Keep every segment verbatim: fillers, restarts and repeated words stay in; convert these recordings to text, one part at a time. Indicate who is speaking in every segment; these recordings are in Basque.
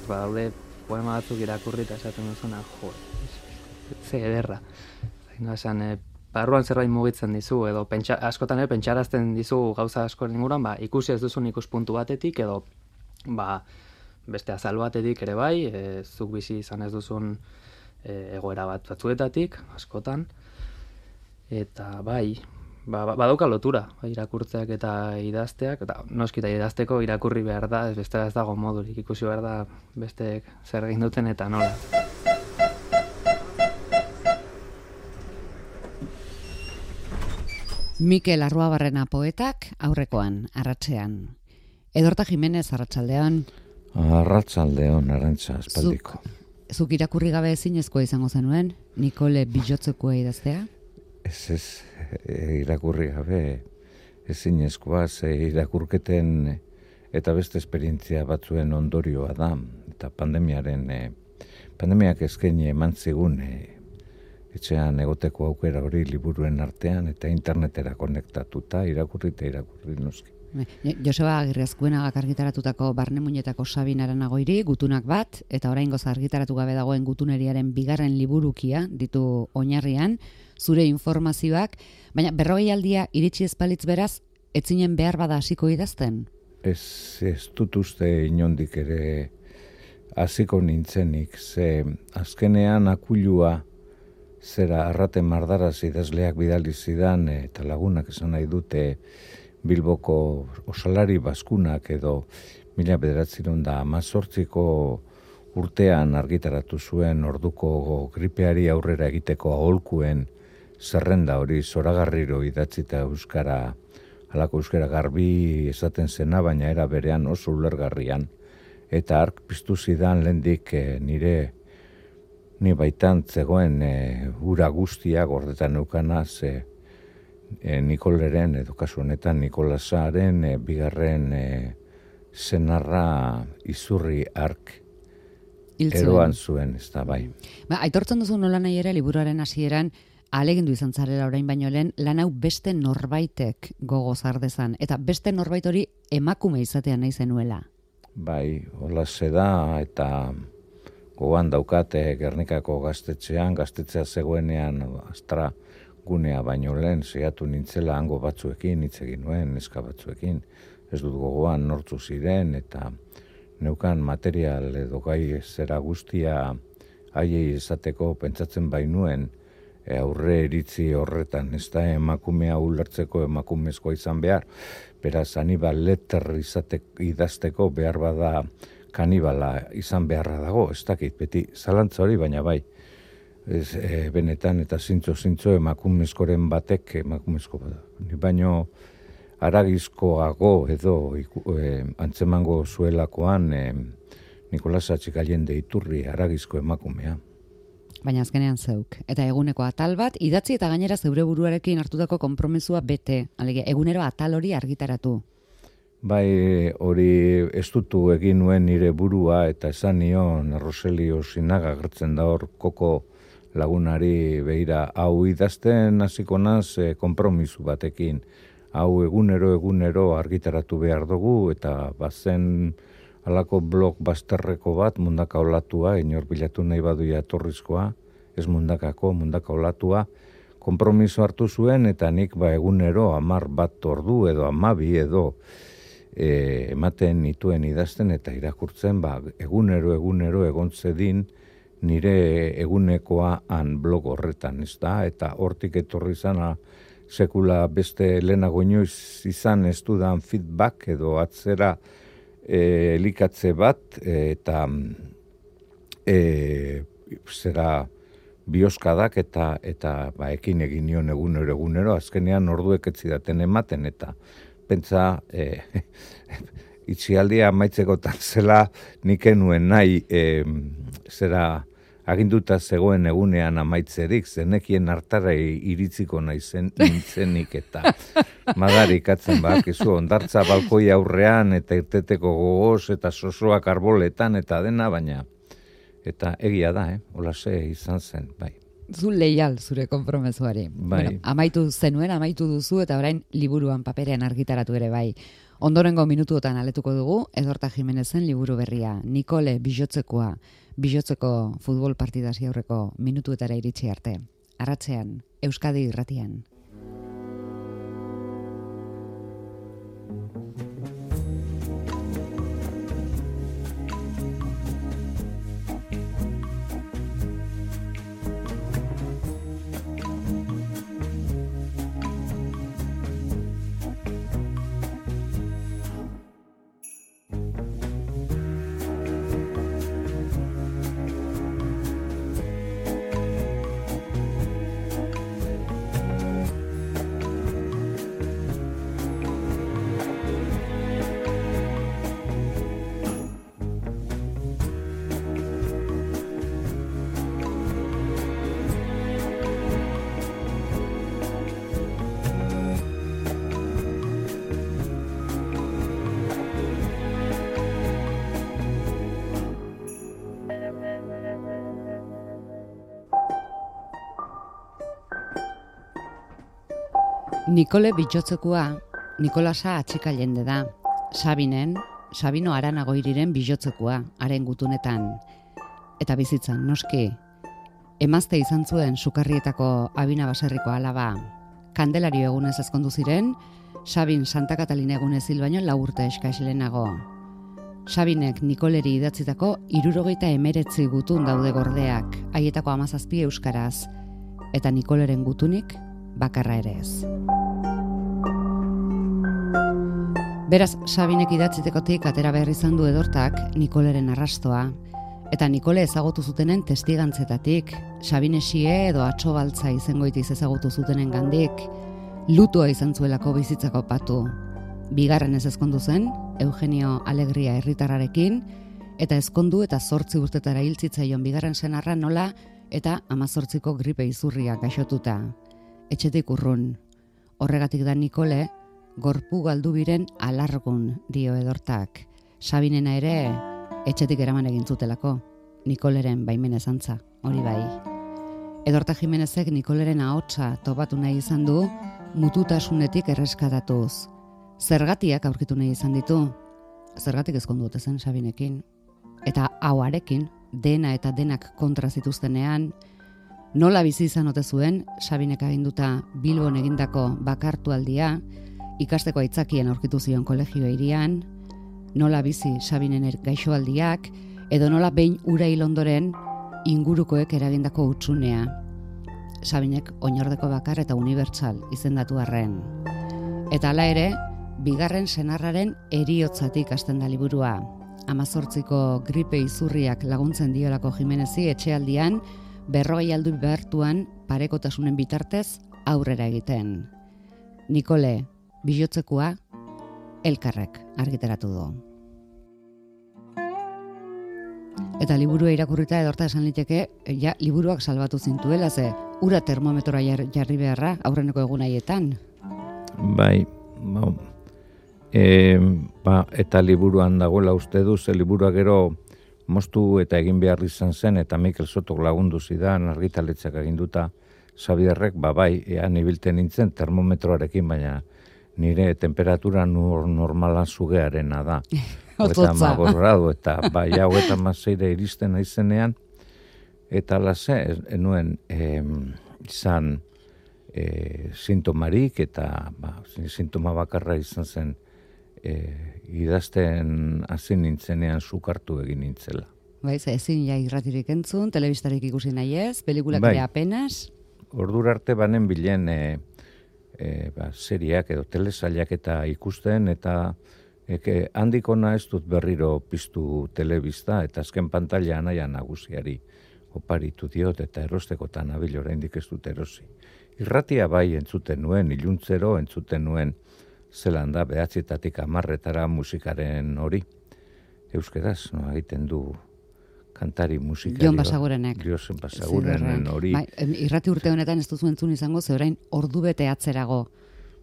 Speaker 1: Badaude poema batzuk irakurri eta esaten duzuna, jo, ze ederra. Zaino esan, e, barruan zerbait mugitzen dizu, edo pentsa, askotan ere pentsarazten dizu gauza askoren inguruan, ba, ikusi ez duzun ikuspuntu batetik, edo ba, beste azal batetik ere bai, e, zuk bizi izan ez duzun e, egoera bat batzuetatik, askotan, eta bai, ba, ba, badauka lotura, bai, irakurtzeak eta idazteak, eta noski eta idazteko irakurri behar da, ez bestela ez dago modurik, ikusi behar da besteek zer egin duten eta nola.
Speaker 2: Mikel Arruabarrena poetak aurrekoan, arratsean. Edorta Jimenez, arratsaldean.
Speaker 3: Arratsaldeon, Arantxa, espaldiko.
Speaker 2: Zuk, zuk irakurri gabe ezinezkoa izango zenuen, Nikole Bilotzekoa idaztea?
Speaker 3: Ez ez, e, irakurri gabe ezinezkoa, ze irakurketen eta beste esperientzia batzuen ondorioa da, eta pandemiaren, e, pandemiak eskaini eman zigun, e, etxean egoteko aukera hori liburuen artean, eta internetera konektatuta, irakurri eta irakurri noski.
Speaker 2: Joseba Agirrezkuenagak argitaratutako Barne Muñetako Sabin Aranagoiri, gutunak bat, eta oraingoz argitaratu gabe dagoen gutuneriaren bigarren liburukia ditu oinarrian, zure informazioak, baina berrogei aldia iritsi ezpalitz beraz, etzinen behar bada hasiko idazten?
Speaker 3: Ez, ez dut uste inondik ere hasiko nintzenik, ze azkenean akulua zera arrate mardaraz idazleak bidali zidan, eta lagunak esan nahi dute Bilboko osalari baskunak edo mila bederatziehun da hamazortziko urtean argitaratu zuen orduko gripeari aurrera egiteko aholkuen zerrenda hori zoragarriro idatzita euskara, halako euskara garbi esaten zena, baina era berean oso ulergarrian. Eta ark piztu zidan lehendik e, nire ni baitan zegoen e, ura guztia gordetan eukanaz e, E, Nikoleren, edo kasu honetan Nikolasaren e, bigarren e, senarra izurri ark eroan zuen, ez da bai.
Speaker 2: Ba, aitortzen duzu nola nahi ere liburuaren hasieran ahalegindu izan zarela orain baino lehen lan hau beste norbaitek gogoz ardezan, eta beste norbait hori emakume izatea nahi zenuela.
Speaker 3: Bai, hola da, eta gogoan daukate Gernikako gaztetxean, gaztetxea zegoenean astra gunea baino lehen saiatu nintzela hango batzuekin, hitz egin nuen, neska batzuekin, ez dut gogoan nortzu ziren, eta neukan material edo gai zera guztia haiei esateko pentsatzen bainuen e, aurre iritzi horretan, ez da emakumea ulertzeko emakumezkoa izan behar, beraz Anibal Lecter izatek idazteko behar bada kanibala izan beharra dago, ez dakit, beti zalantza hori, baina bai, Ez, e, benetan eta zintzo-zintzo emakumezkoren batek emakumezko bada. Baino aragizkoago edo e, antzemango zuelakoan e, Nikolas Atxikallende Iturri aragizko emakumea.
Speaker 2: Baina azkenean zeuk. Eta eguneko atal bat, idatzi eta gainera zeure buruarekin hartutako konpromezua bete. Alegia, egunero atal hori argitaratu.
Speaker 3: Bai, hori ez dutu egin nuen nire burua eta esan nion Roselio Sinaga gertzen da hor koko lagunari begira, hau idazten hasiko naz e, konpromisu batekin. Hau egunero egunero argitaratu behar dugu eta bazen halako blog bazterreko bat mundaka olatua, inor bilatu nahi badu jatorrizkoa, ez mundakako, mundaka olatua, konpromiso hartu zuen eta nik ba egunero hamar bat ordu edo hamabi edo e, ematen nituen idazten eta irakurtzen, ba egunero egunero egon zedin nire egunekoa han blog horretan, ez da, eta hortik etorri izana sekula beste lehenago inoiz izan ez dudan feedback edo atzera e, elikatze bat, e, eta e, zera bioskadak eta eta ba, ekin egin nion egunero egunero, azkenean orduek ez zidaten ematen, eta pentsa e, itxialdia amaitzekotan zela niken nuen nahi e, zera aginduta zegoen egunean amaitzerik, zenekien hartara iritziko naizen nintzenik eta madarikatzen bakizu, ondartza balkoi aurrean eta irteteko gogoz eta sosoak arboletan eta dena, baina eta egia da, eh? Olase izan zen, bai.
Speaker 2: Zu leial zure konpromezuari.
Speaker 3: Bai.
Speaker 2: Bueno, amaitu zenuen, amaitu duzu eta orain liburuan paperean argitaratu ere bai. Ondorengo minutuotan aletuko dugu Edorta Jimenezen liburu berria, Nikole Bijotzekoa, Bijotzeko futbol partidasi aurreko minutuetara iritsi arte. Arratsean, Euskadi Irratian. Nikole Bijotzekoa, Nikolasa atxika jende da. Sabinen, Sabino Aranagoiriren bijotzekoa, haren gutunetan. Eta bizitzan, noski, emazte izan zuen sukarrietako abina baserriko alaba. Kandelario egunez ezkondu ziren, Sabin Santa Katalina egunez hil baino lau urte eskaz lehenago. Sabinek Nikoleri idatzitako hirurogeita emeretzi gutun daude gordeak, haietako hamazazpi euskaraz, eta Nikoleren gutunik bakarra ere ez. Beraz, Sabinek idatzitekotik atera behar izan du Edortak Nikoleren arrastoa, eta Nikole ezagutu zutenen testigantzetatik, Sabinesie edo atsobaltza izengoitiz ezagutu zutenen gandik, lutua izan zuelako bizitzako patu. Bigarren ez ezkondu zen, Eugenio Alegria herritarrarekin, eta ezkondu eta zortzi urtetara hiltzitzaion bigarren senarra nola eta hamazortziko gripe izurria gaixotuta. Etxetik urrun. Horregatik da Nikole, gorpu galdu biren alargun dio Edortak. Sabinena ere etxetik eraman egin zutelako. Nikoleren baimen ezantza, hori bai. Edorta Jimenezek Nikoleren ahotsa topatu nahi izan du, mututasunetik erreskatatuz. Zergatiak aurkitu nahi izan ditu. Zergatik ezkondu ote zen Sabinekin. Eta hauarekin, dena eta denak kontra zituztenean, nola bizi izan ote zuen, Sabinek aginduta Bilbon egindako bakartualdia, ikasteko aitzakien aurkitu zion kolegio hirian, nola bizi Sabinen gaixoaldiak, edo nola behin ura hil ondoren ingurukoek eragindako hutsunea. Sabinek oinordeko bakar eta unibertsal izendatu arren. Eta hala ere, bigarren senarraren heriotzatik hasten da liburua. Hamazortziko gripe izurriak laguntzen diolako Jimenezi etxealdian, berrogei aldu behartuan parekotasunen bitartez aurrera egiten. Nikole Bijotzekoa Elkarrek argitaratu du. Eta liburua irakurrita Edorta esan liteke, ja, liburuak salbatu zintuela, ze ura termometroa jarri beharra aurreneko egun haietan.
Speaker 3: Bai, ba, e, ba, eta liburuan dagoela uste du, ze liburua gero moztu eta egin behar izan zen, eta Mikel Sotok lagundu zidan, argitaletzak eginduta, Xabierrek, ba bai, ean ibilten nintzen termometroarekin, baina nire temperatura nor, normala zugearena da.
Speaker 2: Ototza.
Speaker 3: Eta bai, hau eta mazeire iristen naizenean, eta lase, enuen eh, izan eh, sintomarik, eta ba, sintoma bakarra izan zen, eh, idazten hasi nintzenean sukartu egin nintzela.
Speaker 2: Bai, ezin ja irratirik entzun, telebistarik ikusi nahi ez, pelikulak
Speaker 3: bai.
Speaker 2: ere apenas.
Speaker 3: Ordura arte banen bilen e, e, ba, seriak edo telesailak eta ikusten, eta eke, handikona ez dut berriro piztu telebista, eta azken pantalla anaia nagusiari oparitu diot, eta erostekotan abil oraindik ez dut erosi. Irratia bai entzuten nuen, iluntzero entzuten nuen, zelan da, behatzietatik amarretara musikaren hori. Euskeraz, no, egiten du kantari musikari.
Speaker 2: Jon Basagurenek.
Speaker 3: Jon Basagurenen hori.
Speaker 2: Bai, irrati urte honetan ez duzu entzun izango, ze orain ordu bete atzerago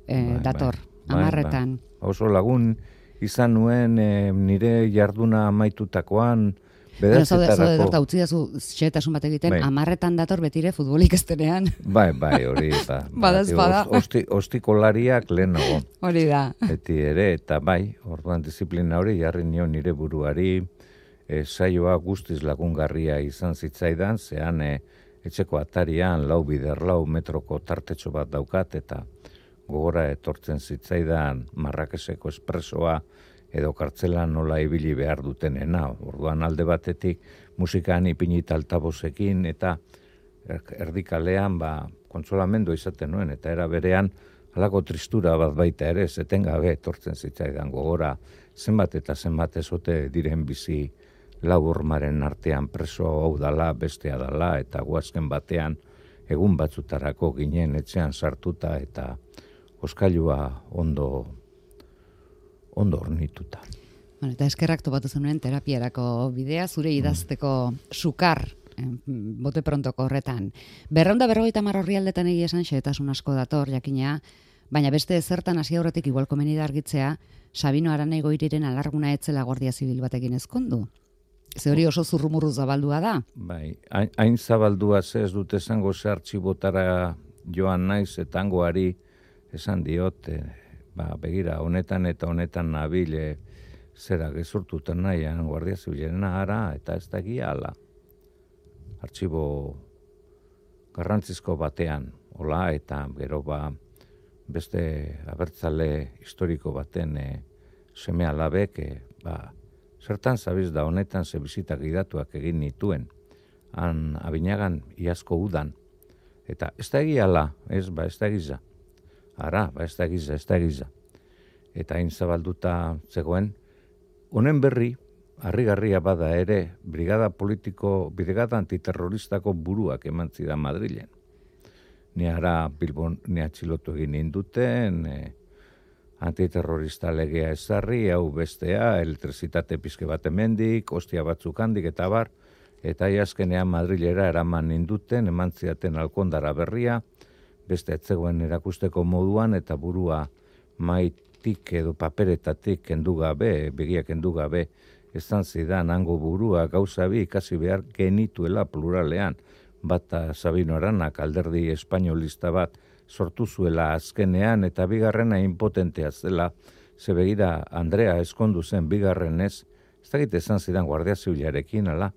Speaker 2: eh,
Speaker 3: bai,
Speaker 2: dator,
Speaker 3: bai,
Speaker 2: amarretan.
Speaker 3: Bai. Oso lagun izan nuen e, nire jarduna amaitutakoan, Bederatzetarako...
Speaker 2: Zaude, utzi dazu xetasun bat egiten,
Speaker 3: bai.
Speaker 2: amarretan dator betire futbolik estenean.
Speaker 3: Bai, bai, hori, ba.
Speaker 2: Badaz, bada.
Speaker 3: Osti, ostikolariak lehenago.
Speaker 2: Hori da.
Speaker 3: Beti ere, eta bai, orduan disiplina hori jarri nio nire buruari, e, saioa guztiz lagungarria izan zitzaidan, zean e, etxeko atarian lau bider lau metroko tartetxo bat daukat, eta gogora etortzen zitzaidan Marrakeseko espresoa edo kartzelan nola ibili behar dutenena. Orduan alde batetik musikan ipinita altabozekin eta erdikalean ba, kontsolamendu izaten nuen, eta era berean halako tristura bat baita ere, etengabe etortzen zitzaidan gogora zenbat eta zenbat ezote diren bizi lau hormaren artean preso hau dala, bestea dala, eta guazken batean egun batzutarako ginen etxean sartuta eta oskailua ondo ondo ornituta.
Speaker 2: Bueno, eta eskerrak topatu zenuen terapiarako bidea, zure idazteko sukar, eh, bote prontoko horretan. Berreunda berrogeita hamar orrialdetan egia esan xehetasun asko dator, jakina, baina beste ezertan hasi aurretik igual komeni da argitzea, Sabino Araneigoiriren alarguna etzela Guardia Zibil batekin ezkondu. Ze hori oso zurrumurru zabaldua da?
Speaker 3: Bai, hain, hain zabaldua ze ez dute esango ze artxibotara joan naiz eta hangoari esan diot, e, ba, begira, honetan eta honetan nabile zera gezurtutan nahian Guardia Zibilena ara, eta ez da egia ala. Artxibo garrantzizko batean, hola, eta gero ba, beste abertzale historiko baten e, seme alabek, e, ba, zertan zabiz da honetan ze bizitak gidatuak egin nituen, han Abinagan iazko udan, eta ez da egia ala, ez, ba, ez da egiza. Ara, ba ez da giza, ez da giza. Eta hain zabalduta zegoen, honen berri, harrigarria bada ere, brigada politiko, brigada antiterroristako buruak eman zidan Madrilen. Ni ara Bilbon, ni atxilotu egin induten, e, antiterrorista legea ezarri, hau bestea, elektrizitate pizke bat emendik, ostia batzuk handik eta bar, eta iazkenean Madrilera eraman induten, eman zidaten Alkondara berria, beste etzegoen erakusteko moduan eta burua maitik edo paperetatik kendu gabe, begiak kendu gabe, ezan zidan hango burua gauza bi ikasi behar genituela pluralean, bata Sabino Aranak alderdi espainolista bat sortu zuela azkenean eta bigarrena impotentea zela, ze begira Andrea eskondu zen bigarrenez, ez dakit ezan zidan Guardia Zibilarekin, ala,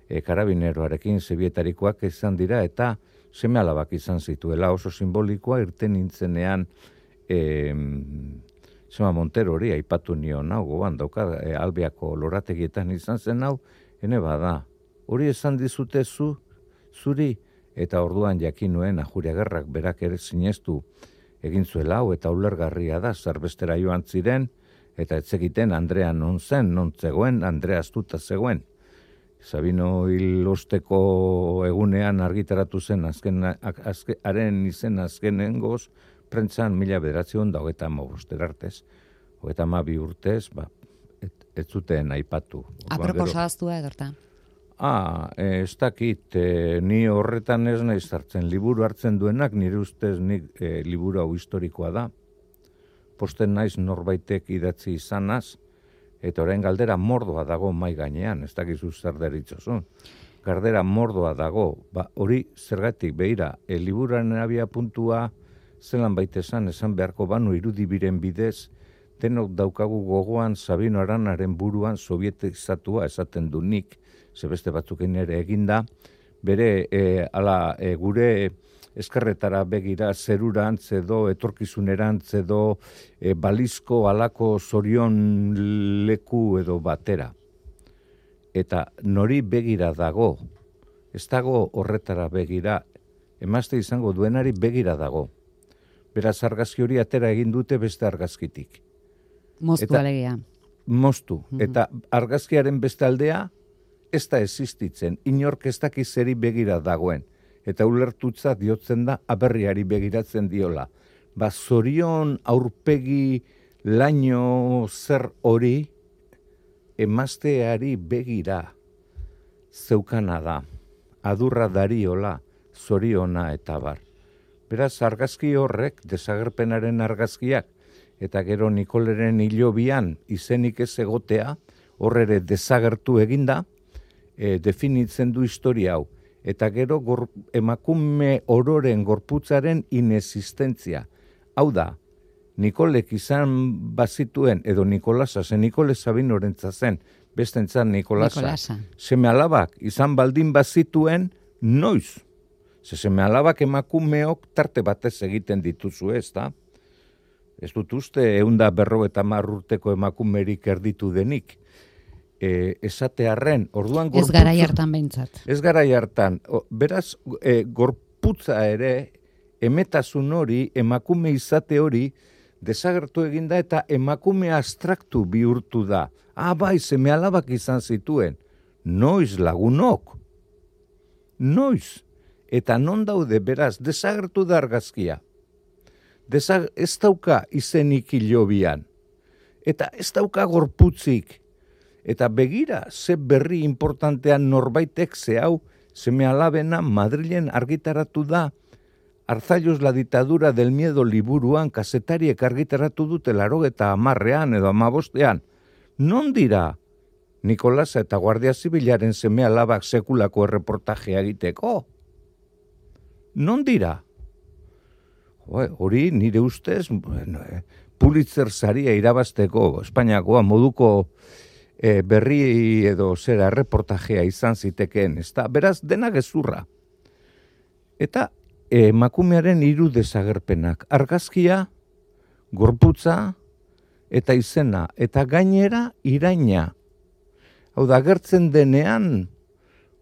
Speaker 3: e, karabineroarekin zebietarikoak izan dira eta seme alabak izan zituela oso simbolikoa irten nintzenean e, Sema Montero hori aipatu nio nau, goban dauka e, Albiako lorategietan izan zen hau, ene bada, hori esan dizute zu, zuri, eta orduan jakin nuen Ajuriagerrak berak ere sinestu egin zuela hau, eta ulergarria da, zerbestera joan ziren, eta etzekiten Andrea non zen, non zegoen, Andrea astuta zegoen. Sabino hil osteko egunean argitaratu zen azken, azken, haren izen azkenengoz, prentzan mila bederatzion da hogeita amaboster artez, hogeita amabi urtez, ba, ez, ez zuten aipatu.
Speaker 2: Aproposa aztua edorta?
Speaker 3: Ah, ez dakit, e, ni horretan ez nahi zartzen, liburu hartzen duenak, nire ustez nik e, liburu hau historikoa da, posten naiz norbaitek idatzi izanaz, eta orain galdera mordoa dago mai gainean, ez dakizu zer deritzozun. Galdera mordoa dago, ba, hori zergatik behira, e, liburuaren abia puntua zelan baitesan esan beharko banu irudibiren bidez, denok daukagu gogoan Sabino Aranaren buruan sovietizatua esaten du nik, zebeste batzukin ere eginda, bere e, ala, e, gure eskerretara begira zerurantz edo etorkizunerantz edo e, balizko alako zorion leku edo batera. Eta nori begira dago, ez dago horretara begira, emazte izango duenari begira dago. Beraz argazki hori atera egin dute beste argazkitik.
Speaker 2: Moztu alegia.
Speaker 3: Moztu. Mm-hmm. Eta argazkiaren beste aldea ez da existitzen. Inork ez dakiz zeri begira dagoen. Eta ulertutza diotzen da aberriari begiratzen diola. Ba, zorion aurpegi laino zer hori emazteari begira zeukana da. Adurra dariola, zoriona eta bar. Beraz, argazki horrek, desagerpenaren argazkiak, eta gero Nikoleren hilobian izenik ez egotea, horrere desagertu eginda, e, definitzen du historia hau. Eta gero gor, emakume ororen gorputzaren inexistentzia. Hau da, Nikolek izan bazituen, edo Nikolasa, ze Nikole Sabinorentzat zen, bestentzat Nikolasa.
Speaker 2: Nikolasa.
Speaker 3: Seme alabak izan baldin bazituen, noiz? Ze seme alabak emakumeok tarte batez egiten dituzu, ez da? Ez dut uste, eunda berro eta marrurteko emakumerik erditu denik. E, esatearren, orduan gorputza...
Speaker 2: Ez garai hartan behintzat.
Speaker 3: Ez garai hartan. O, beraz, e, gorputza ere, emetasun hori, emakume izate hori, desagertu eginda eta emakume abstraktu bihurtu da. Ah, bai, seme alabak izan zituen. Noiz lagunok. Noiz. Eta non daude, beraz, desagertu da argazkia. Desag, ez dauka izenik hilobian. Eta ez dauka gorputzik. Eta begira, ze berri importantean norbaitek ze hau, seme alabena Madrilen argitaratu da, Arzallus la ditadura del miedo liburuan kazetariek argitaratu dute larogeta amarrean edo amabostean. Non dira Nikolasa eta Guardia Zibilaren seme alabak sekulako erreportajea egiteko? Non dira? Hori nire ustez, bueno, eh, Pulitzer saria irabazteko Espainiakoa moduko E, berri edo zera erreportajea izan zitekeen, ez da, beraz, dena gezurra. Eta emakumearen hiru desagerpenak, argazkia, gorputza, eta izena, eta gainera iraina. Hau da, agertzen denean,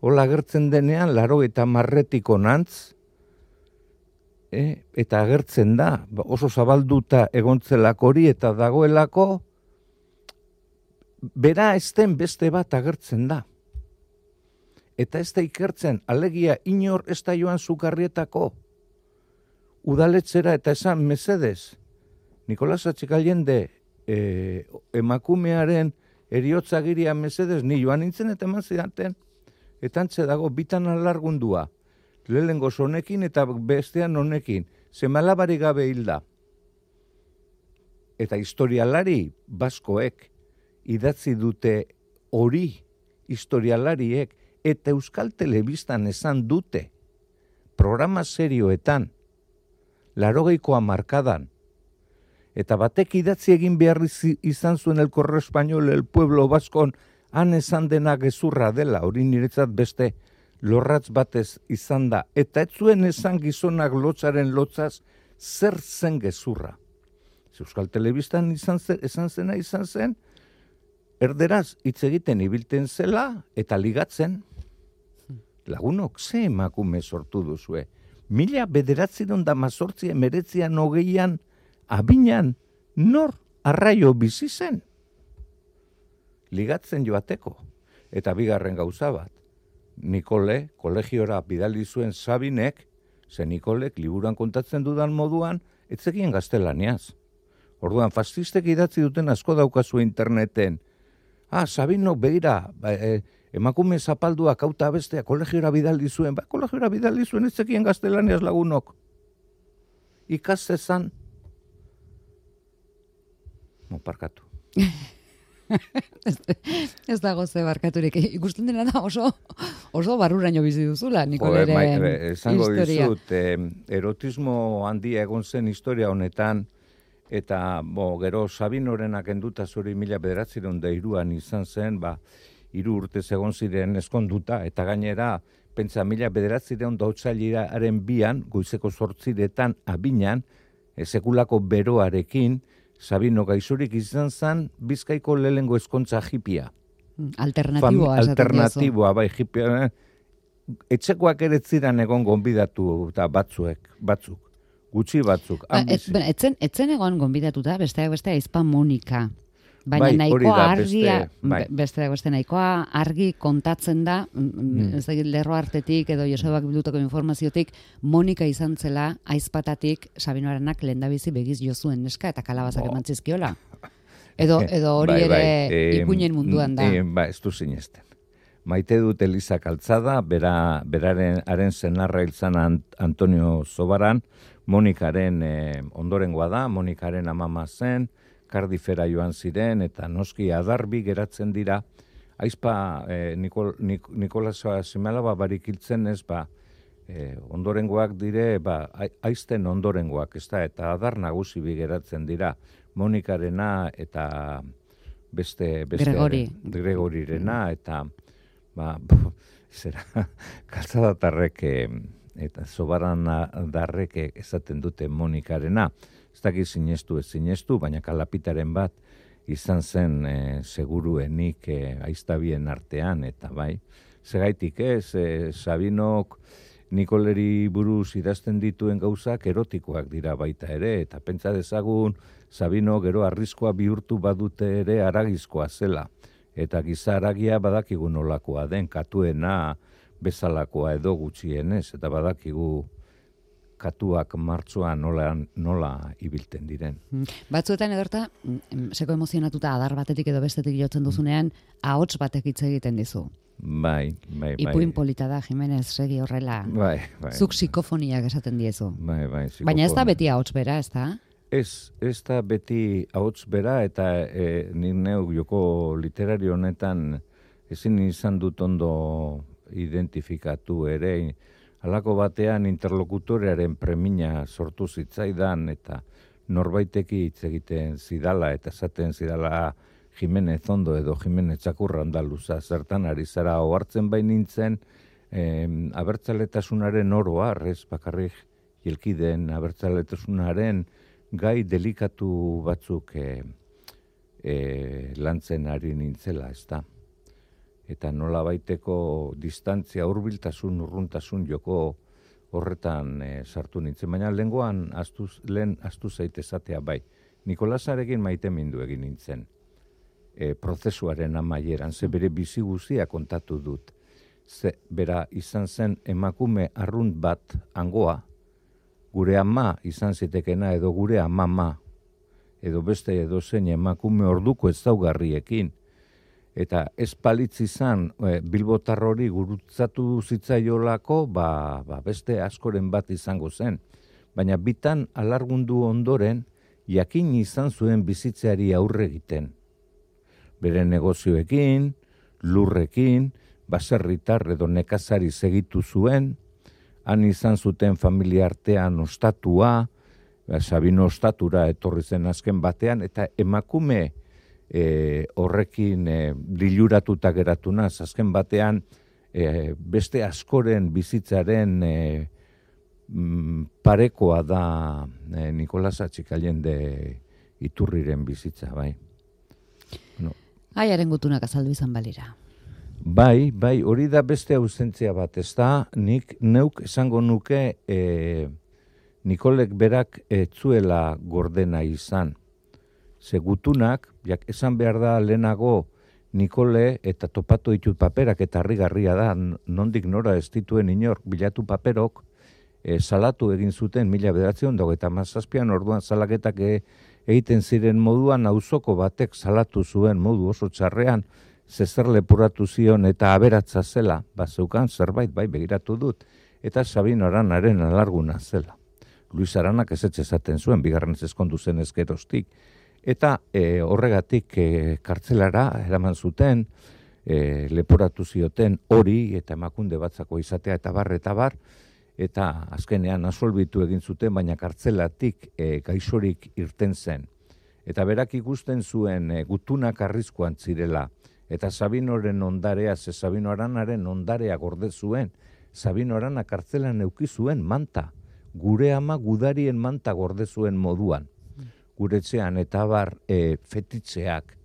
Speaker 3: hola agertzen denean, laro eta marretiko nantz, e, eta agertzen da, oso zabalduta egontzelako hori, eta dagoelako, bera ezten beste bat agertzen da. Eta ez da ikertzen, alegia inor ez da joan Zukarrietako. Udaletzera eta esan mesedez, Nikolas Atxikallende e, emakumearen eriotzagiria mesedez, ni joan nintzen eta eman zidaten. Eta antze dago, bitan alargundua. Lehengo honekin eta bestean honekin. Zemalabari gabe hilda. Eta historialari baskoek idatzi dute hori historialariek eta Euskal Telebistan esan dute programa serioetan, larogeikoa markadan, eta batek idatzi egin behar izan zuen el Correo Español, el Pueblo Baskon, han esan dena gezurra dela, hori niretzat beste lorratz batez izan da, eta ez zuen esan gizonak lotzaren lotzaz zer zen gezurra. Euskal Telebistan izan zen, esan zena izan zen, erderaz hitz egiten ibilten zela eta ligatzen. Lagunok, ze emakume sortu duzue? Mila bederatziron da mazortzi emeretzian hogeian, abinan, nor arraio bizi zen? Ligatzen joateko. Eta bigarren gauza bat. Nikole, kolegiora bidali zuen Sabinek, ze Nikolek liburuan kontatzen dudan moduan, etzekien gaztelaniaz. Orduan, fascistek idatzi duten asko daukazu interneten. Ah, Sabinok begira, ba, e, emakume zapalduak auta bestea kolegiora bidaldi zuen, ba, kolegiora bidaldi zuen ez zekien gaztelaniaz lagunok. Ikastezan. Mo, parkatu.
Speaker 2: ez, ez dago ze barkaturik. Ikusten dena da oso, oso barruraino bizi duzula, Nikoleren
Speaker 3: esango
Speaker 2: historia.
Speaker 3: dizut, eh, erotismo handia egon zen historia honetan, eta bo, gero Sabinorenak enduta zuri mila bederatziron da iruan izan zen, ba, hiru urte egon ziren eskonduta, eta gainera, pentsa mila bederatziron da otsailaren bian, goizeko zortziretan abinan, sekulako beroarekin, Sabino gaizurik izan zen, Bizkaiko lehengo eskontza hipia.
Speaker 2: Alternatiboa.
Speaker 3: Fam, alternatiboa, bai, hipia. Etxekoak ere ziren egon gonbidatu eta batzuek, batzuk. Gutxi batzuk.
Speaker 2: Ba, et, etzen, etzen egon gonbidatuta, besteak beste aizpa Monika. Baina
Speaker 3: bai,
Speaker 2: nahikoa
Speaker 3: da,
Speaker 2: argia,
Speaker 3: beste, bai.
Speaker 2: besteak beste nahikoa argi kontatzen da, mm. ez da, lerro hartetik edo Josebak bildutako informaziotik, Monika izan zela aizpatatik Sabinoarenak lehendabizi begiz jo zuen neska eta kalabazak eman zizkiola. Edo, edo hori
Speaker 3: bai, bai.
Speaker 2: ere
Speaker 3: E,
Speaker 2: ipuinen munduan da.
Speaker 3: E, ba, ez du zinezten. Maite dut Eliza Kaltzada, bera, beraren haren zenarra hiltzan Antonio Zobaran, Monikaren eh, ondorengoa da, Monikaren amama zen, Kardifera joan ziren, eta noski adarbi geratzen dira aizpa e, Nikol, Nik, Nikolasa seme-alaba barik hiltzen ez, ba, e, ondorengoak dire, ba, aizten ondorengoak, ez da, eta adar nagusi bigeratzen dira, Monikarena eta beste, beste
Speaker 2: Gregori.
Speaker 3: Gregorirena, eta ba, zera, kaltzadatarrek eta zobaran darrek esaten dute Monikarena, ez dakit sinestu ez sinestu, baina kalapitaren bat izan zen e, seguruenik e, aiztabien artean, eta bai, segaitik ez, e, Sabinok Nikoleri buruz idazten dituen gauzak erotikoak dira baita ere, eta pentsa dezagun Sabino gero arriskoa bihurtu badute ere aragizkoa zela. Eta giza aragia badakigu nolakoa den, katuena bezalakoa edo gutxienez, eta badakigu katuak martxoan nola, nola ibilten diren.
Speaker 2: Batzuetan edorta, seko emozionatuta adar batetik edo bestetik jotzen duzunean, ahots batek hitz egiten dizu.
Speaker 3: Bai, bai, bai.
Speaker 2: Ipuin polita da, Jimenez, segi horrela.
Speaker 3: Bai, bai.
Speaker 2: Zuk psikofoniak esaten diezu.
Speaker 3: Bai, bai, psikofonia.
Speaker 2: Baina ez da beti ahots bera, ez da?
Speaker 3: Ez, ez da beti ahots bera, eta e, nik neuk joko literario honetan ezin izan dut ondo identifikatu ere, halako batean interlokutorearen premina sortu zitzaidan, eta norbaiteki hitz egiten zidala, eta esaten zidala Jimenez ondo edo Jimenez txakurra andaluza, zertan ari zara ohartzen bain nintzen, eh, abertzaletasunaren oroar, ez bakarrik jelkiden abertzaletasunaren gai delikatu batzuk eh, eh, lantzen ari nintzela, ez da. Eta nola baiteko distantzia, hurbiltasun, urruntasun joko horretan eh, sartu nintzen. Baina lehengoan astuz, lehen astu zaitezatea bai. Nikolasarekin maite mindu egin nintzen. E, prozesuaren amaieran, ze bere bizi guztia kontatu dut. Ze bera izan zen emakume arrunt bat angoa, gure ama izan zitekena edo gure amama, edo beste edo zen emakume orduko ezaugarriekin. Eta ez palitz izan e, bilbotar hori gurutzatu zitzaiolako, ba, ba beste askoren bat izango zen. Baina bitan alargundu ondoren, jakin izan zuen bizitzeari aurre egiten. Bere negozioekin, lurrekin, baserritar edo nekazari segitu zuen, han izan zuten familia artean ostatua, Sabino ostatura etorri zen azken batean, eta emakume e, horrekin e, diluratuta geratuna, azken batean e, beste askoren bizitzaren e, m, parekoa da e, Nikolas Atxikallende Iturriren bizitza, bai. No.
Speaker 2: Aiaren gutunak azaldu izan balira.
Speaker 3: Bai, bai, hori da beste ausentzia bat, ez da, nik neuk esango nuke e, Nikolek berak etzuela gordena izan. Ze gutunak, jak esan behar da lehenago Nikole eta topatu ditut paperak eta harrigarria da, nondik nora ez dituen inor bilatu paperok, e, salatu egin zuten mila bederatziehun dago eta mazazpian orduan salaketak e, egiten ziren moduan auzoko batek salatu zuen modu oso txarrean, zezer lepuratu zion eta aberatza zela, bazeukan zerbait bai begiratu dut, eta Sabino Aranaren alarguna zela. Luis Aranak ezetxe esaten zuen, bigarren ezkondu zen ezkerostik, eta e, horregatik e, kartzelara eraman zuten, e, leporatu zioten hori eta emakunde batzako izatea eta bar, eta bar, eta azkenean asolbitu egin zuten, baina kartzelatik e, gaixorik irten zen. Eta berak ikusten zuen e, gutunak arriskuan zirela, eta Sabinoren ondarea, ze Sabino Aranaren ondarea gorde zuen, Sabino Arana kartzelan euki zuen manta, gure ama gudarien manta gorde zuen moduan, guretzean eta bar e, fetitzeak.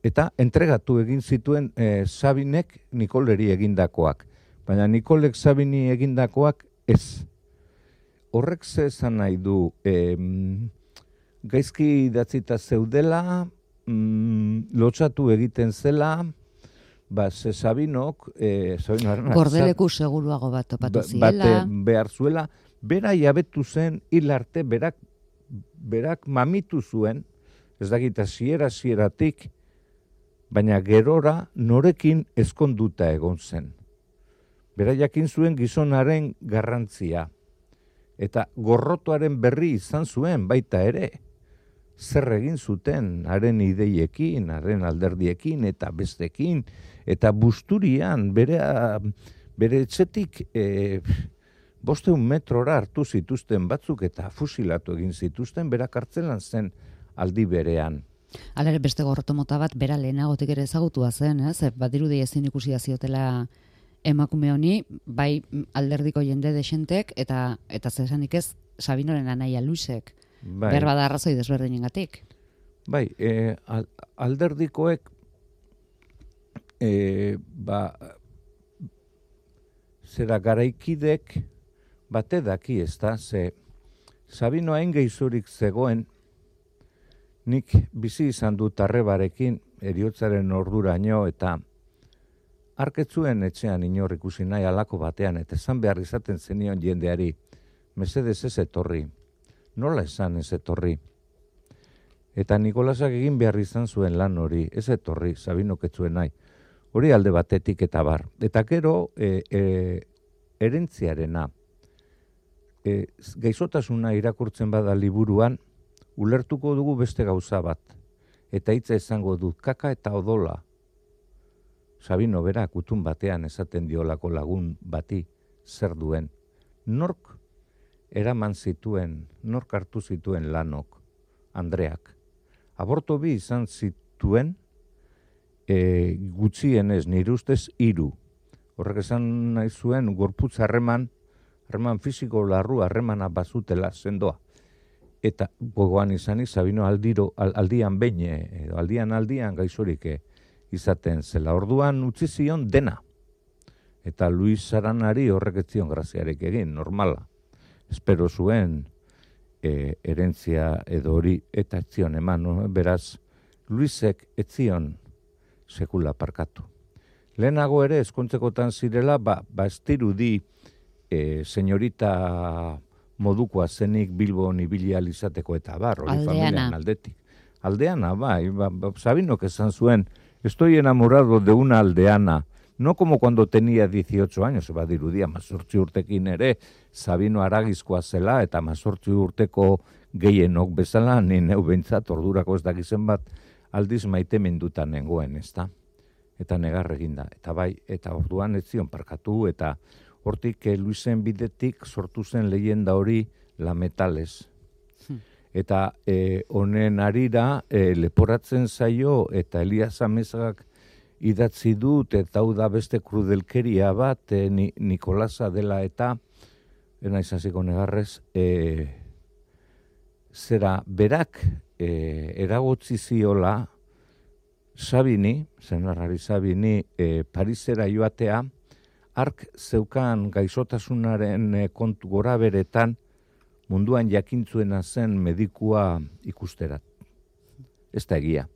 Speaker 3: Eta entregatu egin zituen e, Sabinek Nikoleri egindakoak. Baina Nikolek Sabini egindakoak ez. Horrek ze esan nahi du, e, gaizki idatzita zeudela, mm, lotxatu egiten zela, ba, ze Sabinok, e, Sabino Aranak,
Speaker 2: Gordeleku seguruago bat topatu ziela.
Speaker 3: Bate behar zuela, bera jabetu zen hil arte, berak, berak mamitu zuen, ez dakita ziera zieratik, baina gerora norekin ezkonduta egon zen. Bera jakin zuen gizonaren garrantzia. Eta gorrotoaren berri izan zuen baita ere. zer egin zuten, haren ideiekin, haren alderdiekin, eta bestekin, eta busturian, bere, bere etxetik e, bosteun metrora hartu zituzten batzuk, eta fusilatu egin zituzten, bera kartzelan zen aldi berean.
Speaker 2: Hala ere beste gorroto mota bat bera lehenagotik ere ezagutua zen, ez? Badirudi ezin ikusi ziotela emakume honi, bai alderdiko jende desentek eta eta zesanik ez Sabinoren anaia Luisek. Bai. Behar bada arrazoi desberdinengatik.
Speaker 3: Bai, e, alderdikoek e, ba zera garaikidek bate daki, ez da, ze Sabino hain gehizurik zegoen, nik bizi izan dut arrebarekin eriotzaren orduraino, eta arketzuen etxean inor ikusi nahi alako batean, eta esan behar izaten zenion jendeari, mesedez ez etorri, nola esan ez etorri. Eta Nikolasak egin behar izan zuen lan hori, ez etorri, Sabinok ez zuen nahi. Hori alde batetik eta bar. Eta gero, e, e, erentziarena, e, gaizotasuna irakurtzen bada liburuan, ulertuko dugu beste gauza bat. Eta hitza esango dut, kaka eta odola. Sabino bera kutun batean esaten diolako lagun bati zer duen. Nork eraman zituen, nork hartu zituen lanok, Andreak. Aborto bi izan zituen, e, gutxienez nire ustez hiru. Horrek esan nahi zuen gorputz harreman, harreman fisiko larru harremana bazutela sendoa. Eta gogoan izanik Sabino aldiro, aldian behin, edo aldian aldian gaixorik izaten zela. Orduan utzi zion dena. Eta Luis Saranari horrek ez zion graziarek egin, normala. Espero zuen e, erentzia edo hori eta ez zion eman. No? Beraz, Luisek ez zion sekula parkatu. Lehenago ere, eskontzekotan zirela, ba, ba ez dirudi e, senyorita modukoa zenik Bilbon ibili izateko eta bar, hori familian aldetik. Aldeana, bai, ba, ba, Sabinok esan zuen, estoy enamorado de una aldeana, no como cuando tenía dieciocho años, eba dirudia, mazortzi urtekin ere, Sabino aragizkoa zela, eta mazortzi urteko gehienok bezala, ni neu behintzat, ordurako ez dakizen bat, aldiz maite mendutan nengoen, ez da? Eta negar eginda, eta bai, eta orduan ez zion parkatu, eta hortik eh, Luisen bidetik sortu zen leyenda hori La Metales. Hmm. Eta eh, honen arira eh, leporatzen zaio, eta Elias Amezagak idatzi dut, eta hau da beste krudelkeria bat, eh, ni, Nikolasa dela eta, ena izaziko negarrez, eh, zera berak eh, eragotzi ziola Sabini, zenarrari Sabini, eh, Parisera joatea, ark zeukan gaixotasunaren eh, kontu gora beretan, munduan jakintzuena zen medikua ikusterat. Ez da egia.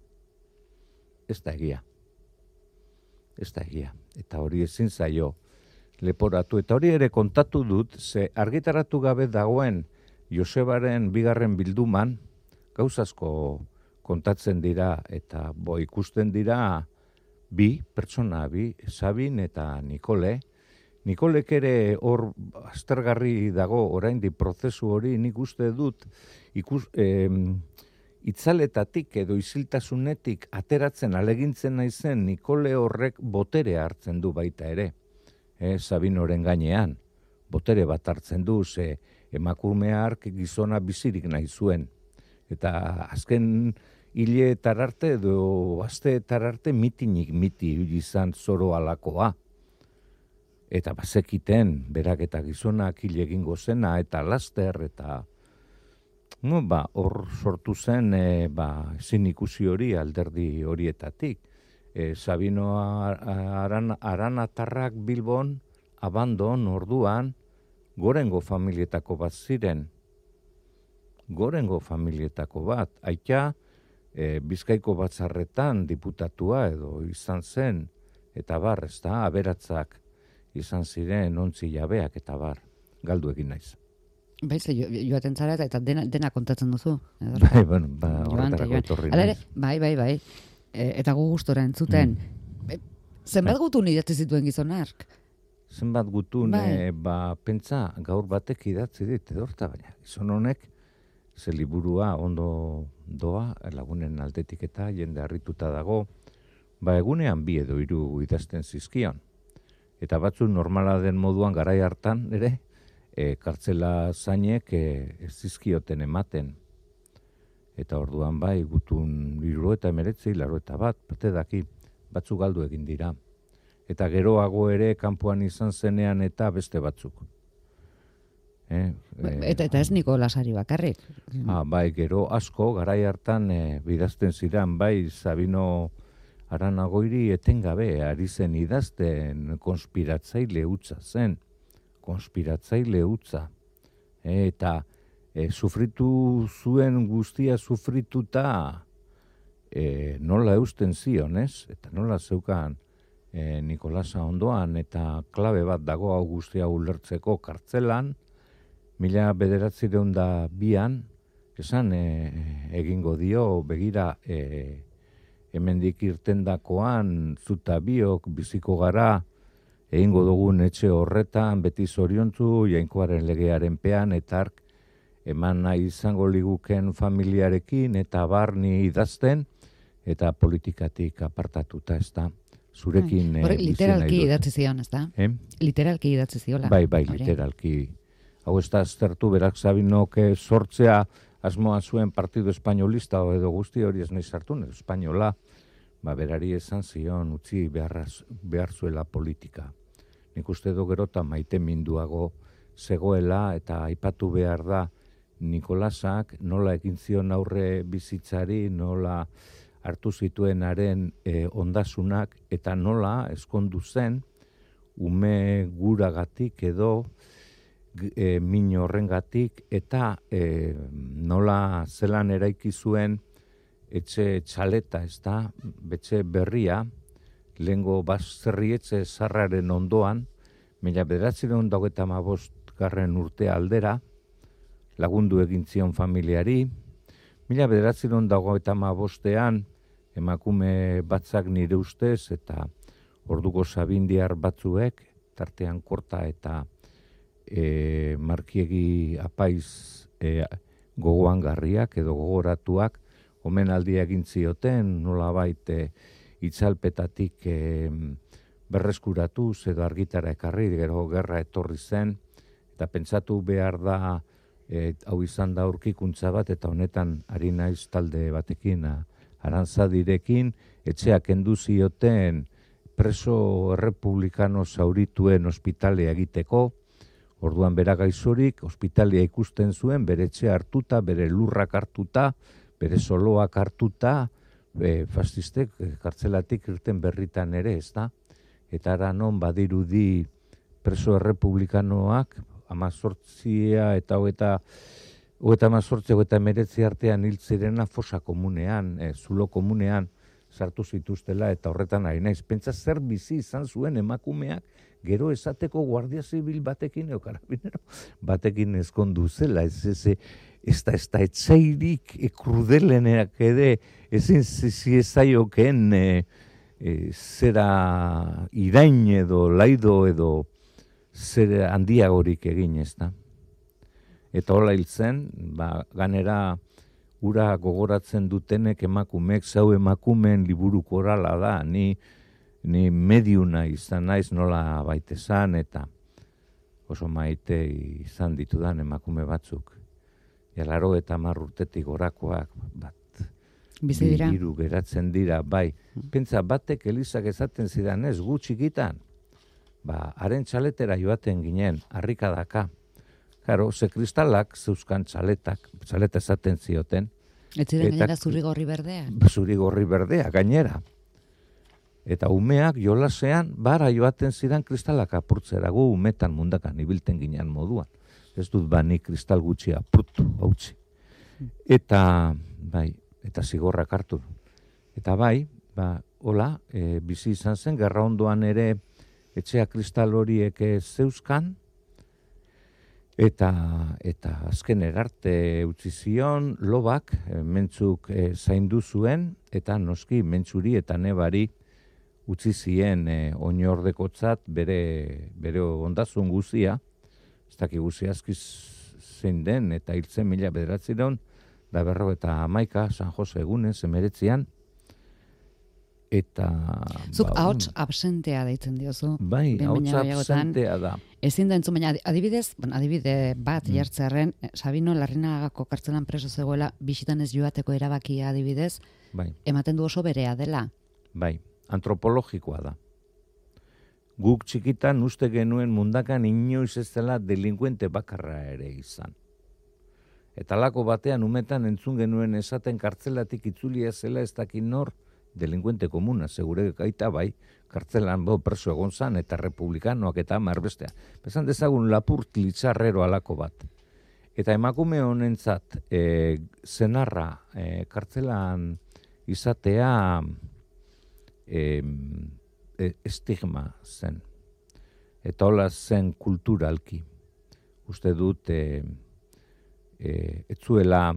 Speaker 3: Ez da egia. Ez da egia. Eta hori ezin zaio leporatu. Eta hori ere kontatu dut, ze argitaratu gabe dagoen Josebaren bigarren bilduman, gauzazko kontatzen dira eta bo ikusten dira bi, pertsona bi, Sabin eta Nikole. Nikolek ere hor aztergarri dago oraindik prozesu hori, nik uste dut ikus, eh, itzaletatik edo isiltasunetik ateratzen alegintzen naizen Nikole horrek botere hartzen du baita ere. Eh, Sabinoren gainean, botere bat hartzen du, ze emakumea hark gizona bizirik nahi zuen. Eta azken hileetar arte edo asteetar arte mitinik miti izan zoro alakoa. Eta bazekiten, berak eta gizonak hil egingo zena, eta laster, eta no, ba, hor sortu zen e, ba, ezin ikusi hori alderdi horietatik. E, Sabino aran, Aranatarrak Bilbon, abandon orduan, gorengo familietako bat ziren. Gorengo familietako bat. Aita, e, Bizkaiko batzarretan diputatua edo izan zen, eta bar, ez da, aberatzak izan ziren ontzi jabeak eta bar, galdu egin naiz.
Speaker 2: Bai, ze joaten zara eta dena, dena kontatzen duzu.
Speaker 3: Bai, bueno, ba, horretarako etorri naiz.
Speaker 2: Bai, bai, bai. E, eta gu gustora entzuten. Mm. Zenbat bai. Gutun idatzi zituen gizonark?
Speaker 3: Zenbat gutun,
Speaker 2: bai.
Speaker 3: e, ba, pentsa, gaur batek idatzi dit, edorta, baina, gizon honek, ze liburua ondo doa, lagunen aldetik eta jende harrituta dago, ba egunean bi edo hiru idazten zizkion. Eta batzu normala den moduan garai hartan ere, e, kartzela zainek e, ez zizkioten ematen. Eta orduan bai, gutun hiru eta emeretzi, laro eta bat, bate daki, batzu galdu egin dira. Eta geroago ere kanpoan izan zenean eta beste batzuk. Eh,
Speaker 2: eta, eta ez Nikolasari bakarrik.
Speaker 3: Ah, bai, gero asko, garai hartan e, bidazten ziren, bai, Sabino Aranagoiri etengabe ari zen idazten konspiratzaile hutsa zen. Konspiratzaile hutsa. E, eta e, sufritu zuen guztia sufrituta e, nola eusten zion, ez? Eta nola zeukan e, Nikolasa ondoan, eta klabe bat dago hau guztia ulertzeko kartzelan, mila bederatzireun da bian, esan e, egingo dio, begira e, hemendik irtendakoan, zuta biok, biziko gara, egingo dugun etxe horretan, beti zoriontzu, jainkoaren legearen pean, eta ark, eman nahi izango liguken familiarekin, eta barni idazten, eta politikatik apartatuta, ez da. Zurekin
Speaker 2: Hore, literalki idatzi zion, ez da?
Speaker 3: Eh?
Speaker 2: Literalki idatzi ziola.
Speaker 3: Bai, bai,
Speaker 2: Hore.
Speaker 3: literalki. Hau ez da aztertu, berak Sabinok sortzea asmoa zuen partido espainolista edo guzti hori ez nahi sartu, espainola, ba, berari esan zion, utzi behar, behar zuela politika. Nik uste do gero eta maite minduago zegoela eta aipatu behar da Nikolasak nola egin zion aurre bizitzari, nola hartu zituenaren e, ondasunak eta nola eskondu zen ume guragatik edo e, min horrengatik eta e, nola zelan eraiki zuen etxe txaleta, ez da, betxe berria, lehengo baserrietxe zarraren ondoan, mila bederatzireun dagoeta hamabost garren urte aldera, lagundu egin zion familiari, mila bederatzireun dagoeta hamabostean, emakume batzak nire ustez, eta orduko sabindiar batzuek, tartean korta eta e, markiegi apaiz e, gogoan garriak edo gogoratuak, omenaldia egin zioten, nolabait e, itzalpetatik e, berreskuratuz edo argitara ekarri, gero gerra etorri zen, eta pentsatu behar da, e, hau izan da aurkikuntza bat, eta honetan ari naiz talde batekin, Arantzadirekin, etxeak kendu zioten preso errepublikano zaurituen ospitalea egiteko, orduan bera gaizorik, ospitalea ikusten zuen, bere etxea hartuta, bere lurrak hartuta, bere soloak hartuta, e, fascistek kartzelatik irten berritan ere, ez da? Eta ara non badirudi preso errepublikanoak, amazortzia eta hogeita hogeita amazortzi, hogeita emeretzi artean hil zirena fosa komunean, e, zulo komunean sartu zituztela eta horretan ari naiz. Pentsa zer bizi izan zuen emakumeak gero esateko guardia zibil batekin edo karabinero batekin ezkondu zela, ez ez ez da ez da etzairik e, krudeleneak ede ezin ziezaiokeen e, e, zera irain edo laido edo zer handiagorik egin, ez da. Eta hola hil zen, ba, ganera ura gogoratzen dutenek emakumeek, zau emakumeen liburuko orala da, ni, ni mediuna izan naiz nola baitezan, eta oso maite izan ditudan emakume batzuk. Jalaro eta hamar urtetik gorakoak, bat,
Speaker 2: bizi dira.
Speaker 3: Hiru geratzen dira, bai. Pentsa batek Elizak esaten zidan ez, gu txikitan, ba, haren txaletera joaten ginen, harrikadaka. Claro, ze kristalak zeuzkan txaletak, txaleta esaten zioten.
Speaker 2: Ez ziren gainera zuri gorri berdea.
Speaker 3: Zuri gorri berdea, gainera. Eta umeak jolasean, bara joaten zidan kristalak apurtzera, gu umetan mundakan ibilten ginen moduan. Ez dut bani kristal gutxi apurtu, hautsi. Eta, bai, eta zigorrak hartu. Eta bai, ba, hola, e, bizi izan zen, gerra ondoan ere etxea kristal horiek zeuzkan, Eta, eta azken erarte utzi zion, lobak, e, mentzuk e, zaindu zuen, eta noski mentzuri eta nebari utzi zien e, oinordekotzat bere, bere ondazun guzia, ez daki guzia azkiz zein den, eta hiltzen mila bederatzireun, da berro eta hamaika, San Jose egunez, emeretzian, eta...
Speaker 2: Zuk
Speaker 3: ba,
Speaker 2: ahots absentea deitzen diozu.
Speaker 3: Bai, ahots absentea da.
Speaker 2: Ezin da entzun, baina adibidez, bueno, adibide bat mm. jartzearren, Sabino Larrinagako kartzelan preso zegoela, bisitan ez joateko erabakia adibidez,
Speaker 3: bai.
Speaker 2: Ematen du oso berea dela.
Speaker 3: Bai, antropologikoa da. Guk txikitan uste genuen mundakan inoiz ez dela delinkuente bakarra ere izan. Eta lako batean umetan entzun genuen esaten kartzelatik itzulia zela ez dakin nor, delinkuente komuna, segure gaita bai, kartzelan bo preso egon zan, eta republikanoak eta marbestea. Bezan dezagun lapurt litzarrero alako bat. Eta emakume honentzat, e, zenarra, e, kartzelan izatea e, e, estigma zen. Eta hola zen kulturalki. Uste dut, e, e, etzuela...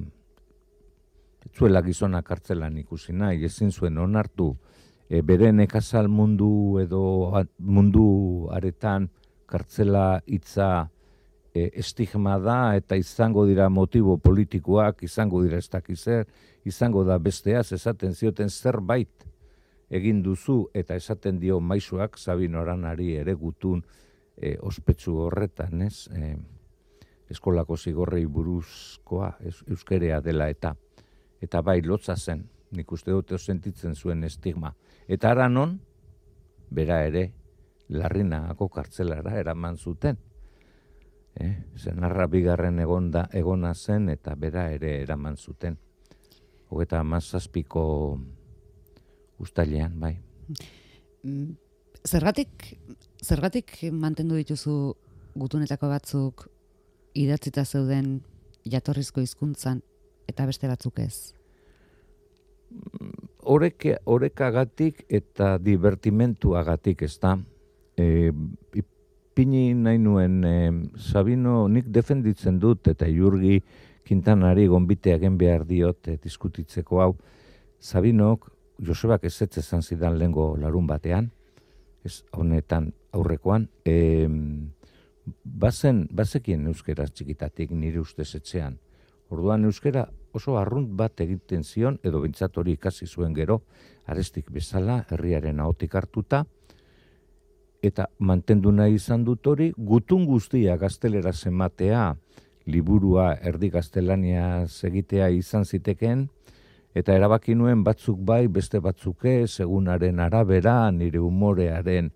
Speaker 3: Zuela gizona kartzelan ikusi nahi, ezin zuen onartu e, bere nekazal mundu edo a, mundu aretan kartzela hitza e, estigma da eta izango dira motibo politikoak, izango dira ez dakizer, izango da besteaz esaten zioten zerbait egin duzu eta esaten dio maisuak Sabino Aranari ere gutun e, ospetsu horretan, ez? E, eskolako zigorrei buruzkoa, ez, euskerea dela eta Eta bai, lotza zen, nik uste dut sentitzen zuen estigma. Eta ara non, bera ere, Larrinagako kartzelara eraman zuten. Eh? Zenarra bigarren egonda, egona zen, eta bera ere eraman zuten. Hogeta hamazazpiko ustailean, bai.
Speaker 2: Zergatik, zergatik mantendu dituzu gutunetako batzuk idatzita zeuden jatorrizko hizkuntzan, eta beste batzuk ez?
Speaker 3: Horek, horekagatik eta divertimentuagatik ez da. E, ipini nahi nuen, e, Sabino nik defenditzen dut eta Jurgi Quintanari gonbite egin behar diot e, diskutitzeko hau. Sabinok, Josebak ezetz esan zidan lehengo larun batean, ez honetan aurrekoan, e, bazen, bazekien euskeraz txikitatik nire ustez etxean. Orduan euskera oso arrunt bat egiten zion, edo bintzat hori ikasi zuen gero, arestik bezala, herriaren ahotik hartuta, eta mantendu nahi izan dut hori, gutun guztia gaztelera ematea, liburua erdi gaztelania egitea izan zitekeen, eta erabaki nuen batzuk bai, beste batzuk ez, egunaren arabera, nire umorearen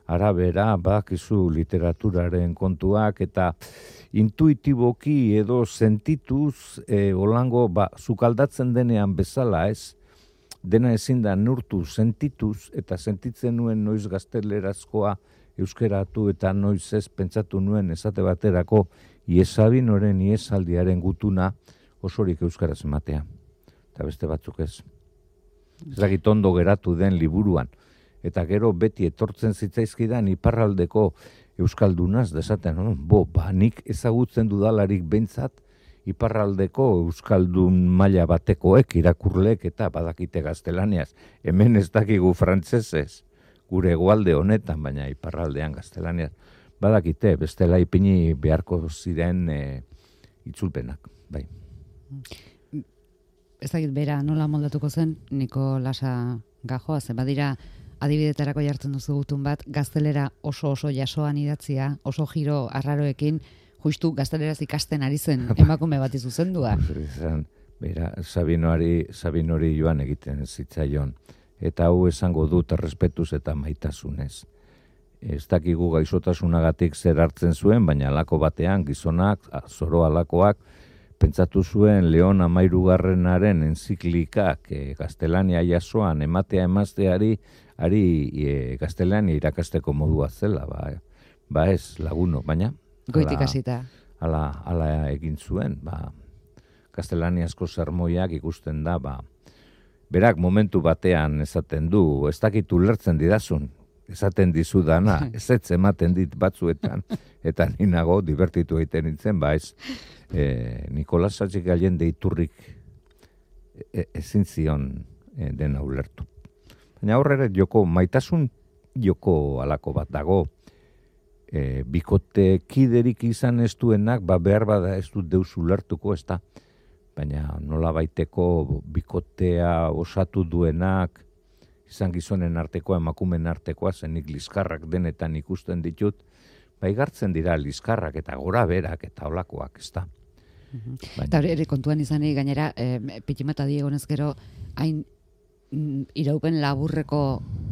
Speaker 3: arabera, bakizu literaturaren kontuak, eta intuitiboki edo sentituz, e, olango, ba, zukaldatzen denean bezala ez, dena ezin da neurtu sentituz, eta sentitzen nuen noiz gaztelerazkoa euskeratu eta noiz ez pentsatu nuen esate baterako Iesabinoren iesaldiaren gutuna osorik euskaraz ematea. Eta beste batzuk ez. Ez dakit ondo geratu den liburuan. Eta gero beti etortzen zitzaizkidan iparraldeko euskaldunaz desaten, no? Bo, ba, nik ezagutzen dudalarik behintzat iparraldeko euskaldun maila batekoek, irakurlek eta badakite gaztelaniaz. Hemen ez dakigu frantsesez, gure hegoalde honetan, baina iparraldean gaztelaniaz. Badakite, bestela ipini beharko ziren e, itzulpenak, bai.
Speaker 2: Ez dakit bera nola moldatuko zen, Nikolasa Gajoa, ze badira adibidetarako jartzen duzu gutun bat, gaztelera oso oso jasoan idatzia, oso giro arraroekin, justu gazteleraz ikasten ari zen emakume bat izuzendua.
Speaker 3: Bera, Sabinoari, Sabinori joan egiten zitzaion, eta hau esango dut errespetuz eta maitasunez. Ez dakigu gaixotasunagatik zer hartzen zuen, baina alako batean gizonak, zoro alakoak, pentsatu zuen Leon Amairugarrenaren enziklikak e, gaztelania jasoan ematea emazteari, ari e, gaztelania irakasteko modua zela, ba, ba ez laguno, baina
Speaker 2: goitik hasita.
Speaker 3: Ala, ala egin zuen, ba, gaztelaniazko sermoiak ikusten da, ba, berak momentu batean esaten du, ez dakit ulertzen didazun, esaten dizu dana, ez ez ematen dit batzuetan, eta ninago divertitu egiten nintzen, ba ez, e, Nikolas Satxik Allende iturrik e, ezin zion e, dena ulertu. Baina horre joko, maitasun joko alako bat dago, e, bikote kiderik izan ez duenak, ba behar bada ez dut deus ulertuko, ez da, baina nola baiteko bikotea osatu duenak, izan gizonen artekoa, emakumen artekoa, zenik liskarrak denetan ikusten ditut, bai gartzen dira liskarrak eta gora berak eta olakoak, ez da.
Speaker 2: Uh-huh. Eta hori ere kontuan izanik gainera, eh, pitimata diegonez gero, hain mm, iraupen laburreko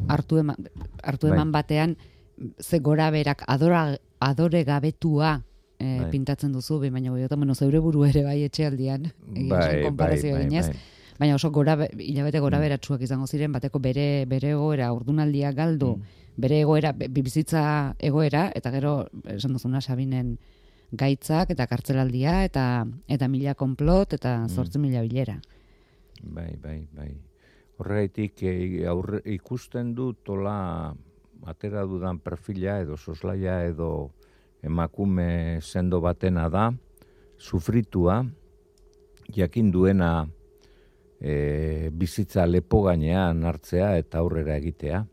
Speaker 2: hartu eman, hartu eman bai. Batean, ze gora berak adora, adore gabetua eh, bai. Pintatzen duzu, baina goiotan, bueno, zeure buru ere bai etxealdian, egin bai, konparazio bai, eginez, bai, bai. Baina oso gora, hilabete gora beratsuak izango ziren, bateko bere, bere egoera, ordunaldia galdu, mm. bere egoera, bizitza egoera, eta gero, esan duzuna, Sabinen gaitzak, eta kartzelaldia, eta eta mila konplot, eta zortzi mila bilera.
Speaker 3: Bai, bai, bai. Horregatik aurre, ikusten du tola atera dudan perfila, edo soslaia, edo emakume sendo batena da, sufritua, jakin duena e, bizitza lepo gainean hartzea eta aurrera egitea.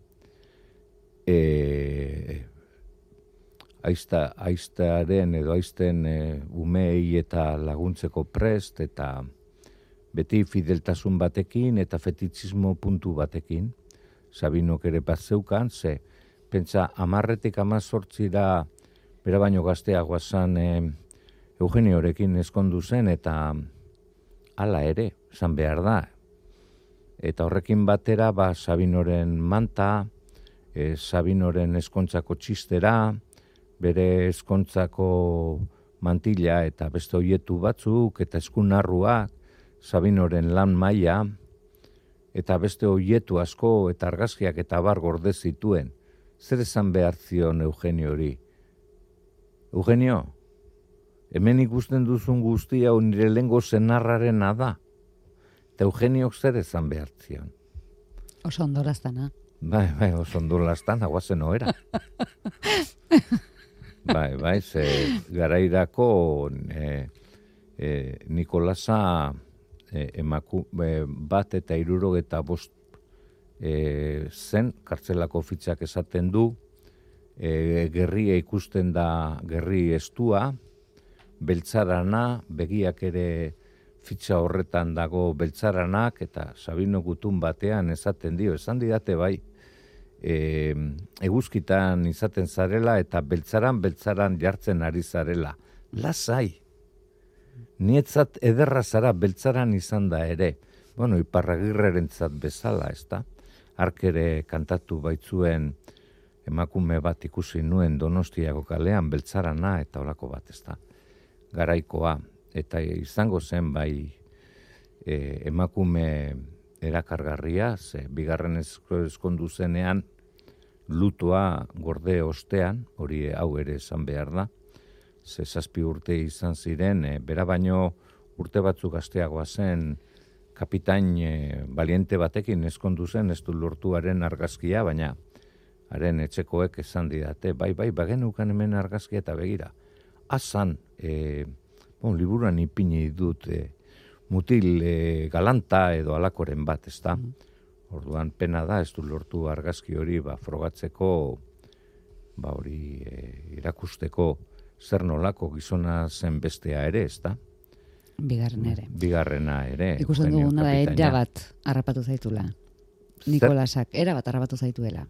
Speaker 3: E, aizta, aiztaren edo aizten e, umei eta laguntzeko prest eta beti fideltasun batekin eta fetitxismo puntu batekin. Sabinok ere bat zeukan, ze pentsa amarretik amazortzira bera baino gazteagoa zan e, Eugeniorekin eskondu zen eta hala ere, esan behar da. Eta horrekin batera, ba, Sabinoren manta, e, Sabinoren eskontzako txistera, bere eskontzako mantila eta beste hoietu batzuk, eta eskunarruak, Sabinoren lan maila, eta beste hoietu asko eta argazkiak eta bar gorde zituen. Zer esan behar zion Eugeniori? Eugenio, hemen ikusten duzun guztia nire lehengo zenarrarena da. Eta Eugeniok zer esan behar zion?
Speaker 2: Oso ondoraztana.
Speaker 3: Bai, bai, oso ondoraztana, guazen oera. Bai, bai, ze garairako e, e, Nikolasa e, emaku, e, bat eta hirurogeta bost e, zen, kartzelako fitxak esaten du, e, gerria ikusten da gerri estua, beltzarana, begiak ere fitxa horretan dago beltzaranak, eta Sabino gutun batean esaten dio, esan didate bai, e, eguzkitan izaten zarela, eta beltzaran, beltzaran jartzen ari zarela. Lasai, nietzat ederra zara beltzaran izan da ere, bueno, Iparragirrerentzat bezala, ez da? Hark ere kantatu baitzuen emakume bat ikusi nuen Donostiako kalean, beltzarana eta olako bat, ez da? Garaikoa, eta izango zen bai e, emakume erakargarria, ze bigarren eskondu zenean lutoa gorde ostean, hori hau ere esan behar da, ze zazpi urte izan ziren, e, bera baino urte batzuk gazteagoa zen kapitain e, baliente batekin eskondu zen, ez du lortuaren argazkia, baina haren etxekoek esan didate, bai, bai, bagenukan hemen argazkia eta begira. Azan, e, bon, liburuan ipini dut e, mutil e, galanta edo alakoren bat, ez da? Mm. Orduan pena da, ez du lortu argazki hori ba, frogatzeko, ba, hori e, irakusteko zer nolako gizona zen bestea ere, ez da?
Speaker 2: Bigarren ere.
Speaker 3: Bigarrena ere.
Speaker 2: Ikusten duguna da, era bat harrapatu zaitula. Nikolasak, era bat harrapatu zaituela.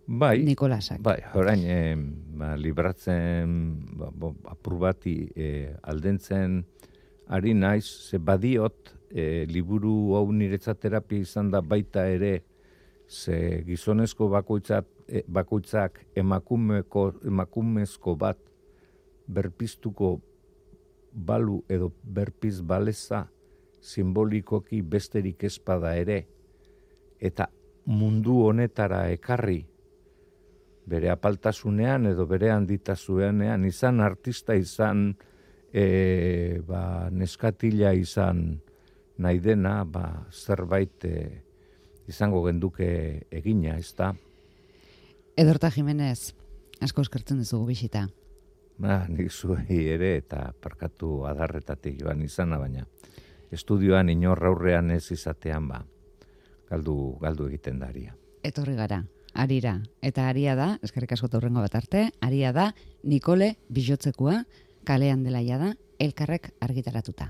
Speaker 3: Bai,
Speaker 2: Nikolasak.
Speaker 3: Bai, orain, e, ba, libratzen, ba, bo, apur bati e, aldentzen ari naiz, ze badiot, e, liburu hau niretzat terapia izan da baita ere, ze gizonezko bakoitzak, e, bakoitzak emakumeko, emakumezko bat berpiztuko balu edo berpiz baleza simbolikoki besterik ezpada ere, eta mundu honetara ekarri, bere apaltasunean edo bere handitasunean, izan artista, izan e, ba, neskatila izan nahi dena, ba, zerbait e, izango genduke egina, ez da?
Speaker 2: Edorta Jimenez, asko eskertzen dizugu bisita.
Speaker 3: Ba, nik zuei ere eta parkatu adarretatik joan izana, baina estudioan inor aurrean ez izatean, ba, galdu, galdu egiten daria.
Speaker 2: Etorri gara. Arira, eta aria da, eskerrik asko taurrengo bat arte, aria da Nikole Bijotzekoa, kalean dela ja da, elkarrek argitaratuta.